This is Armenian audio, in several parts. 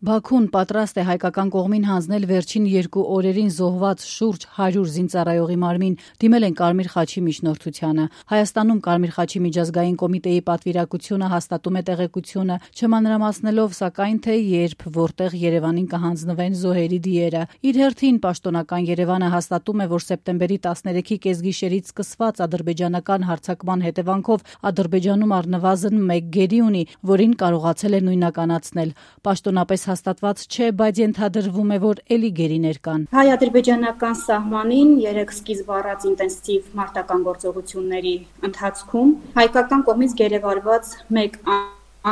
Բաքուն պատրաստ է հայկական կողմին հանձնել վերջին 2 օրերին զոհված շուրջ 100 զինծառայողի մարմին, դիմել են Կարմիր խաչի միջնորդությանը։ Հայաստանում Կարմիր խաչի միջազգային կոմիտեի պատվիրակությունը հաստատում է տեղեկությունը, չմանրամասնելով սակայն թե երբ, որտեղ Երևանին կհանձնվեն զոհերի դիերը։ Իր հերթին պաշտոնական Երևանը հաստատում է, որ սեպտեմբերի 13-ի կեսգիշերից սկսված ադրբեջանական հարձակման հետևանքով Ադրբեջանում առնվազն 1 գերի ունի, որին կարողացել է նույնականացնել։ Պաշտոնապես հաստատված չէ, բայց ենթադրվում է, որ էլի գերիներ կան։ Հայ-ադրբեջանական սահմանին 3 սկիզբ առած ինտենսիվ մարտական գործողությունների ընթացքում հայկական կողմից գերեվարված 1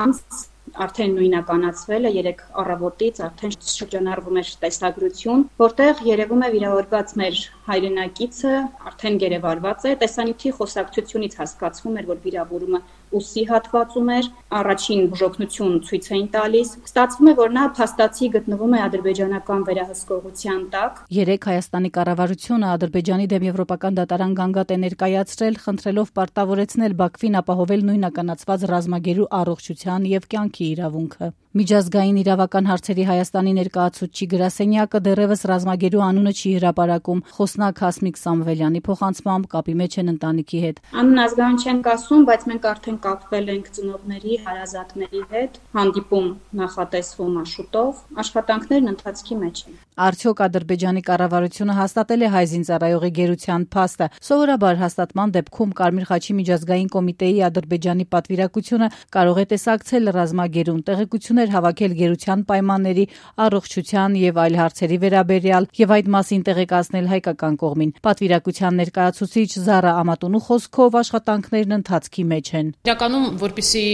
անձ արդեն նույնականացվել է 3 առավոտից, արդեն շրջանառվում է տեսագրություն, որտեղ երևում է վիրավորված մեր հայրենակիցը արդեն գերեվարված է։ Տեսանյութի խոսակցությունից հասկացվում էր, որ վիրավորումը ուսի հատվածում էր, առաջին բուժօգնություն ցույց էին տալիս։ Ստացվում է, որ նա փաստացի գտնվում է ադրբեջանական վերահսկողության տակ։ 3 Հայաստանի կառավարությունը Ադրբեջանի դեմ Եվրոպական դատարան գանգատ է ներկայացրել, խնդրելով պարտավորեցնել Բաքվին ապահովել նույնականացված ռազմագերու առողջության եւ կյանքի իրավունքը։ Միջազգային իրավական հարցերի Հայաստանի ներկայացուցիչ գրասենյակը դեռևս ռազմագերու անունը չի հրապարակում։ Խոսնակ Հասմիկ Սամվելյանի փոխանցմամբ կապի մեջ են ընտանիքի հետ։ Անուն ազգային չենք ասում, բայց մենք արդեն կապվել ենք ծնողների, հարազատների հետ, հանդիպում նախատեսվում է շուտով, աշխատանքներն ընթացքի մեջ են։ Արդյոք Ադրբեջանի կառավարությունը հաստատել է հայ զինծառայողի գերության փաստը։ Սովորաբար հաստատման դեպքում Կարմիր խաչի միջազգային կոմիտեի Ադրբեջանի պատվիրակությունը կարող է տեսակցել ռազմագերուն, տեղեկություններ հավաքել գերության պայմանների, առողջության եւ այլ հարցերի վերաբերյալ եւ այդ մասին տեղեկացնել հայկական կողմին։ Պատվիրակության ներկայացուցիչ Զարա Ամատունու խոսքով աշխատանքներն ընթացքի մեջ են։ Իրականում, որպեսզի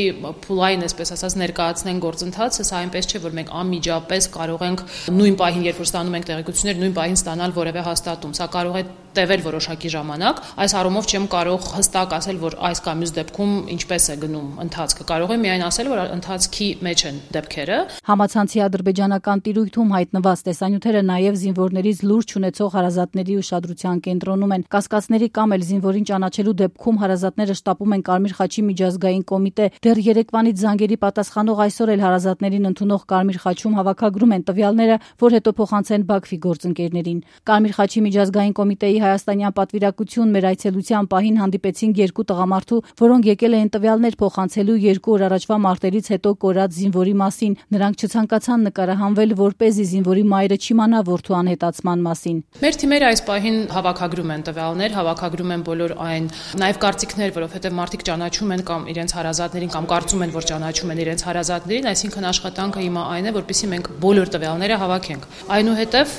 փուլային, այսպես ասած, ներկայացնեն գործընթացը, սա այնպես չէ, որ մենք անմիջապես կարող ենք նույն պահին, երբ որ ստանում ենք տեղեկություններ, նույն պահին ստանալ որևէ հաստատում։ Սա կարող է տևել որոշակի ժամանակ։ Այս առումով չեմ կարող հստակ ասել, որ այս կամ մյուս դեպքում ինչպես է գնում ընթացքը։ Կարող եմ միայն ասել, որ ընթացքի մեջ են դեպքերը։ Համացանցի ադրբեջանական տիրույթում հայտնված տեսանյութերը նաև զինվորներից լուրջ ունեցող հարազատների ուշադրության կենտրոնում են։ Կասկածների կամ էլ զինվորին ճանաչելու դեպքում հարազատները շտապում են Կարմիր խաչի միջազգային կոմիտե։ Դեռ երեկվանից զանգերի պատասխանող այսօր էլ հարազատներին ընդունող Կարմիր խաչում հավաքագրում են տվյալները, որ հետո փոխանցեն Բաքվի գործընկերներին։ Կարմիր խաչի միջազգային կոմիտեի հայաստանյան պատվիրակություն մեր այցելության պահին հանդիպեցին 2 տղամարդու, որոնք եկել էին տվյալներ փոխանցելու 2 օր առաջվա մարտերից հետո կորած զինվորի մասին։ Նրանք չցանկացան նկարահանվել, որպեսզի զինվորի մայրը չիմանա որդու անհետացման մասին։ Մեր թիմերը այս պահին հավաքագրում են տվյալներ, հավաքագրում են բոլոր այն նաև կարծիքներ, որովհետև մարդիկ ճանաչում են կամ իրենց հարազատներին կամ կարծում են, որ ճանաչում են իրենց հարազատներին, այսինքն աշխատանքը հիմա այն է, որպեսզի մենք բոլոր տվյալները հավաքենք։ Այնուհետև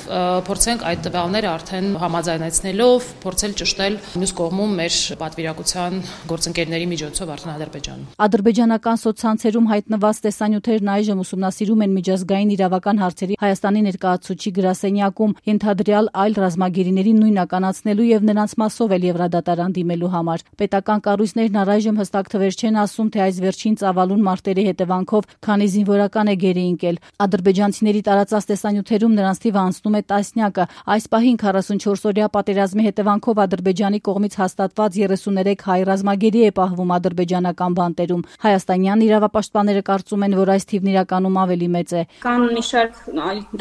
փորձենք այդ տվյալները արդեն համաձայնեցնելով փորձել ճշտել մյուս կողմում մեր պատվիրակության գործընկերների միջոցով արդեն Ադրբեջանում։ Ադրբեջանական սոցցանցերում հայտնված տեսանյութերն այժմ ուսումնասիրում են միջազգային իրավական հարցերի Հայաստանի ներկայացուցիչ գրասենյակում, ենթադրյալ այլ ռազմագերիների նույնականացնելու եւ նրանց մասով էլ Եվրադատարան դիմելու համար։ Պետական կառույցներն առայժմ հստակ թվեր չեն ասում, թե այս վերջին ծավալուն մարտերի հետևանքով քանի զինվորական է գերի ընկել։ Ադրբեջանցիների տարածած տեսանյութերում նրանց թիվը անցնում է տասնյակը։ Այս պահին 44-օրյա պատերազմի հետևանքով Ադրբեջանի կողմից հաստատված 33 հայ ռազմագերի է պահվում ադրբեջանական բանտերում։ Հայաստանյան իրավապաշտպանները կարծում են, որ այս թիվն իրականում ավելի մեծ է։ Կան մի շարք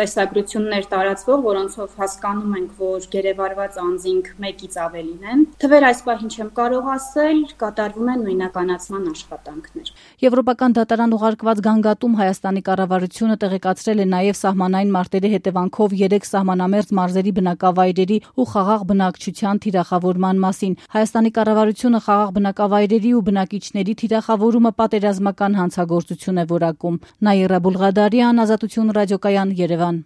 տեսագրություններ տարածվող, որոնցով հասկանում ենք, որ գերեվարված անձինք 1-ից ավելին են։ Թվեր այս պահին չեմ կարող ասել, կատարվում են նույնականացման աշխատանքներ։ Եվրոպական դատարան ուղարկված գանգատում Հայաստանի կառավարությունը տեղեկացրել է նաև սահմանային մարտերի հետևանքով 3 սահմանամերձ մարզերի բնակավայրերի ու խաղաղ բնակչության թիրախավորման մասին։ Հայաստանի կառավարությունը խաղաղ բնակավայրերի ու բնակիչների թիրախավորումը պատերազմական հանցագործություն է որակում։ Նաիրա Բուլղադարյան, Ազատություն ռադիոկայան, Երևան։